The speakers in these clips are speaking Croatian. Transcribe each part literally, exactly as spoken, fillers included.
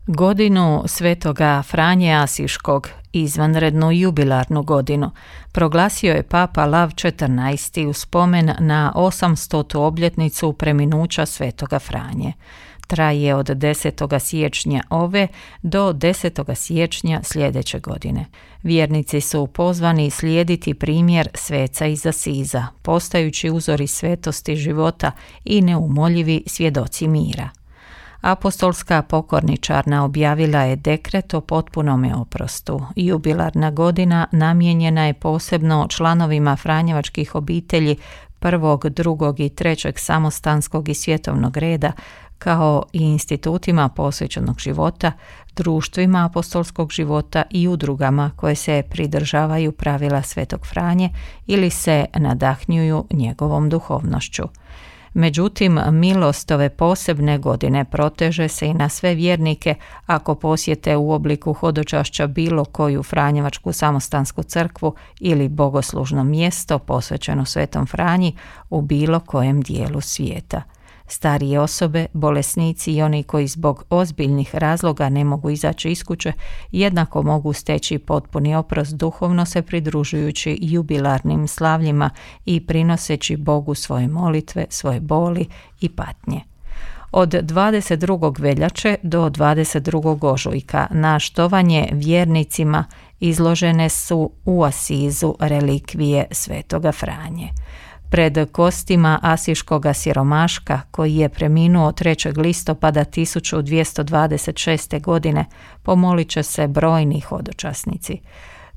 Godinu Svetoga Franje Asiškog, izvanrednu jubilarnu godinu, proglasio je Papa Lav četrnaesti u spomen na osamstotu obljetnicu preminuća Svetoga Franje. Traje od desetog siječnja ove do desetog siječnja sljedeće godine. Vjernici su pozvani slijediti primjer sveca iz Asiza, postajući uzori svetosti života i neumoljivi svjedoci mira. Apostolska pokorničarna objavila je dekret o potpunome oprostu. Jubilarna godina namijenjena je posebno članovima franjevačkih obitelji prvog, drugog i trećeg samostanskog i svjetovnog reda, kao i institutima posvećenog života, društvima apostolskog života i udrugama koje se pridržavaju pravila Svetog Franje ili se nadahnjuju njegovom duhovnošću. Međutim, milost ove posebne godine proteže se i na sve vjernike ako posjete u obliku hodočašća bilo koju franjevačku samostansku crkvu ili bogoslužno mjesto posvećeno Svetom Franji u bilo kojem dijelu svijeta. Starije osobe, bolesnici i oni koji zbog ozbiljnih razloga ne mogu izaći iz kuće jednako mogu steći potpuni oprost duhovno se pridružujući jubilarnim slavljima i prinoseći Bogu svoje molitve, svoje boli i patnje. Od dvadeset drugog veljače do dvadeset drugog ožujka na štovanje vjernicima izložene su u Asizu relikvije Svetoga Franje. Pred kostima asiškoga siromaška, koji je preminuo trećeg listopada tisuću dvjesto dvadeset šeste. godine, pomolit će se brojni hodočasnici.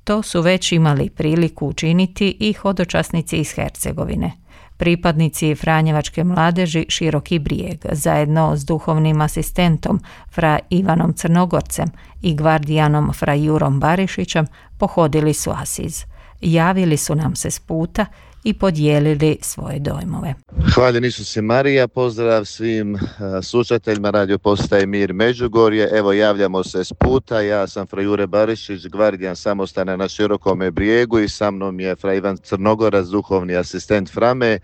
To su već imali priliku učiniti i hodočasnici iz Hercegovine. Pripadnici franjevačke mladeži Široki Brijeg, zajedno s duhovnim asistentom fra Ivanom Crnogorcem i gvardijanom fra Jurom Barišićem, pohodili su Asiz. Javili su nam se s puta i podijelili svoje dojmove. Hvaljen Isus i Marija, pozdrav svim uh, slušateljima Radio Postaje Mir Međugorje. Evo, javljamo se s puta, ja sam fra Jure Barišić, gvardijan samostana na Širokome Brijegu i sa mnom je fra Ivan Crnogorac, duhovni asistent Frame.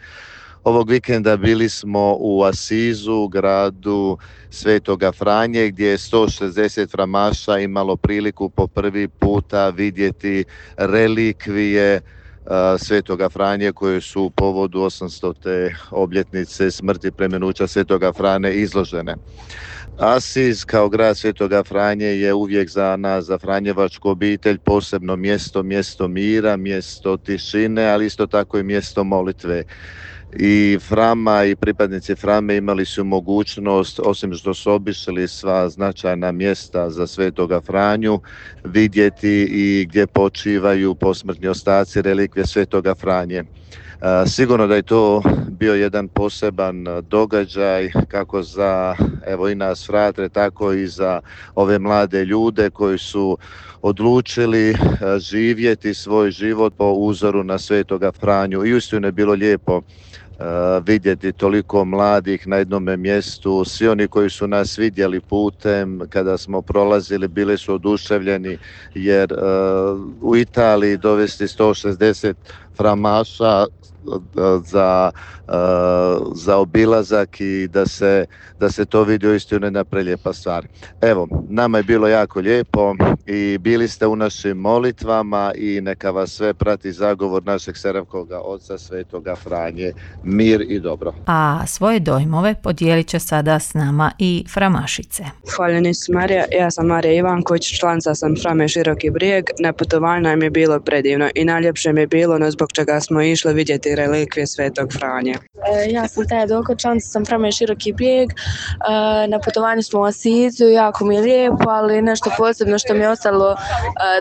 Ovog vikenda bili smo u Asizu, gradu Svetoga Franje, gdje je sto šezdeset framaša imalo priliku po prvi puta vidjeti relikvije Svetoga Franje koje su u povodu osamstote obljetnice smrti preminuća Svetoga Franje izložene. Asiz kao grad Svetoga Franje je uvijek za nas, za franjevačku obitelj, posebno mjesto, mjesto mira, mjesto tišine, ali isto tako i mjesto molitve. I Frama i pripadnici Frame imali su mogućnost, osim što su obišli sva značajna mjesta za Svetoga Franju, vidjeti i gdje počivaju posmrtni ostaci relikvije Svetoga Franje. Sigurno da je to bio jedan poseban događaj kako za evo i nas fratre, tako i za ove mlade ljude koji su odlučili živjeti svoj život po uzoru na Svetoga Franju. I uistinu je bilo lijepo Uh, vidjeti toliko mladih na jednome mjestu. Svi oni koji su nas vidjeli putem kada smo prolazili bili su oduševljeni jer uh, u Italiji dovesti sto šezdeset framaša za, za obilazak i da se, da se to vidi uistinu jedna prelijepa stvar. Evo, nama je bilo jako lijepo i bili ste u našim molitvama i neka vas sve prati zagovor našeg Seravkoga oca Svetoga Franje. Mir i dobro. A svoje dojmove podijelit će sada s nama i framašice. Hvaljen Isus Marija, ja sam Marija Ivanković, članica sam Frame Široki Brijeg. Na putovanju nam je bilo predivno i najljepše mi je bilo no zbog čega smo išli vidjeti relikvije Svetog Franje. E, ja sam Taja Doko, članica sam Frame Široki Brijeg. E, na putovanju smo u Asizu, jako mi je lijepo, ali nešto posebno što mi je ostalo e,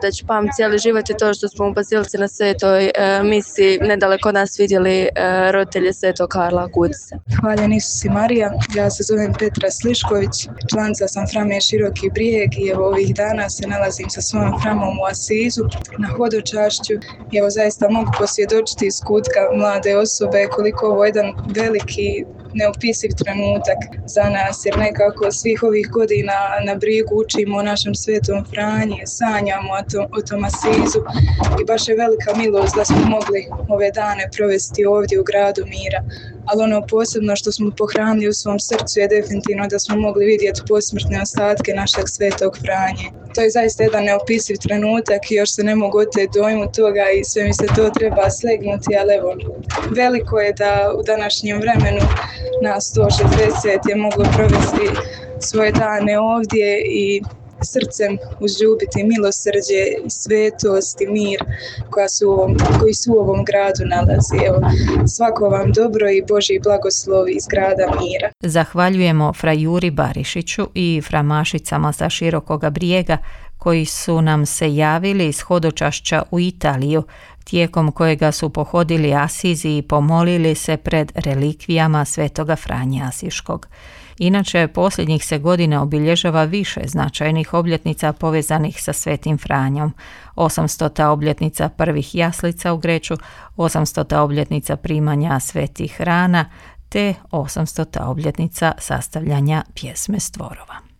da ću pamtiti cijeli život je to što smo u Bazilici na Svetoj e, misi nedaleko od nas vidjeli e, roditelje Svetog Karla Kudice. Hvaljen Isus i Marija, ja se zovem Petra Slišković, članica sam Frame Široki Brijeg i evo ovih dana se nalazim sa svojom Framom u Asizu na hodočašću i evo zaista mogu posvjedočiti iz kutka mlade osobe koliko ovo je jedan veliki neopisiv trenutak za nas, jer nekako svih ovih godina na Brijegu učimo o našem Svetom Franji, sanjamo o tom, o tom Asizu i baš je velika milost da smo mogli ove dane provesti ovdje u gradu mira. ali ono posebno što smo pohranili u svom srcu je definitivno da smo mogli vidjeti posmrtne ostatke našeg svetog Franje. To je zaista jedan neopisiv trenutak i još se ne mogu oteti dojmu toga i sve mi se to treba slegnuti, ali evo, veliko je da u današnjem vremenu nas sto šezdeset je moglo provesti svoje dane ovdje i srcem uzljubiti milosrđe, svetost i mir koja su u ovom, koji su u ovom gradu nalazi. Evo, svako vam dobro i Božji blagoslov iz grada mira. Zahvaljujemo fra Juri Barišiću i fra Mašicama sa Širokoga Brijega koji su nam se javili iz hodočašća u Italiju, tijekom kojega su pohodili Asizi i pomolili se pred relikvijama svetoga Franje Asiškog. Inače, posljednjih se godina obilježava više značajnih obljetnica povezanih sa Svetim Franjom. osamstota obljetnica prvih jaslica u Greču, osamstota obljetnica primanja svetih rana, te osamstota obljetnica sastavljanja pjesme Stvorova.